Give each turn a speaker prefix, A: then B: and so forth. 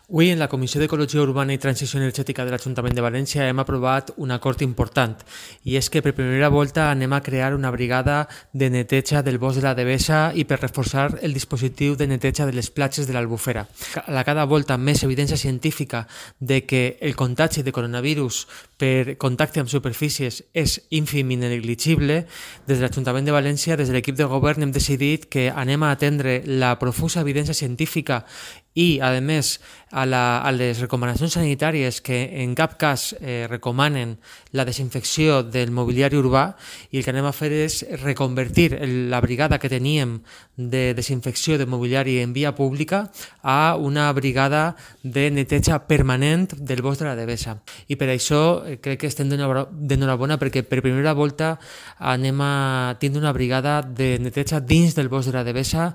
A: Avui, en la Comissió d'Ecologia Urbana i Transició Energètica de l'Ajuntament de València hem aprovat un acord important, i és que per primera volta anem a crear una brigada de neteja del bosc de la Devesa i per reforçar el dispositiu de neteja de les platges de l'Albufera. A cada volta més evidència científica de que el contagi de coronavirus per contacte amb superfícies és ínfim i negligible, des de l'Ajuntament de València, des de l'equip de govern, hem decidit que anem a atendre la profusa evidència científica i, a més, a les recomanacions sanitàries que en cap cas recomanen la desinfecció del mobiliari urbà, i el que anem a fer és reconvertir la brigada que teníem de desinfecció de mobiliari en via pública a una brigada de neteja permanent del bosc de la Devesa. I per això crec que estem d'enhorabona, perquè per primera volta anem a tindre una brigada de neteja dins del bosc de la Devesa